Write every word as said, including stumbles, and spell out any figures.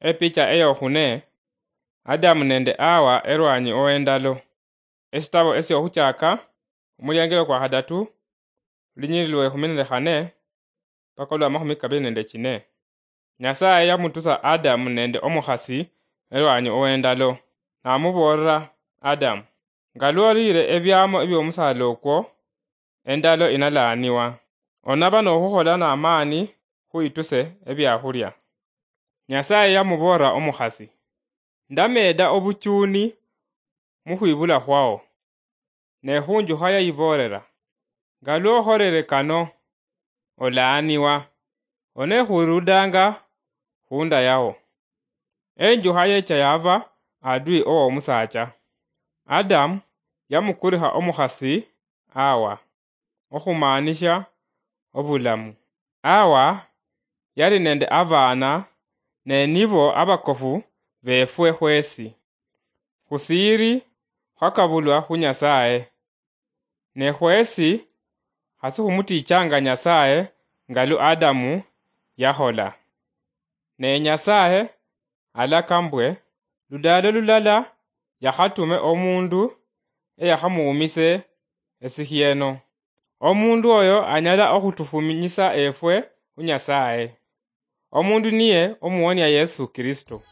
Epicha eyokhune, Adamu nende Awa erwanyi owendalo. Esitabo esyokhuchaka, omuliangilo kwa khadatu, lunyiriri lwa ekhumi nende khane, paka olwa makhumi kabili nende chine. Nyasaye yamutusa Adamu nende omukhasi erwanyi owendalo, namuboolera Adamu, "Nga lwolire ebiamo ebiomusala okwo, endalo inalaaniwa. Onaba nokhukhola namani khwituse ebiakhulia." Nyasaye yamuboolera omukhasi, "Ndameeda obuchuni mukhwibula khwao." Ne khunjukha yayiboolera, "Nga lwokholere kano, olaaniwa, onekhurudanga khunda yao." Enjukha yecha yaba adui owomusaacha. Adamu yamukurikha omukhasi Awa, okhumaanisha obulamu. Awa yali nende abaana, ne nibo abakofu befwe khwesi. Khusiiri khwakabulwa khu Nyasaye. Ne khwesi khasi khumutichanga Nyasaye nga lu Adamu yakhola. Ne Nyasaye alaka mbwe, ludaalo lulala yakhatume omundu eyakhamuumise esikhieno. Omundu oyo anyala okhutufuminyisa efwe khu Nyasaye. Omundu niye omuwonia Yesu Kristo.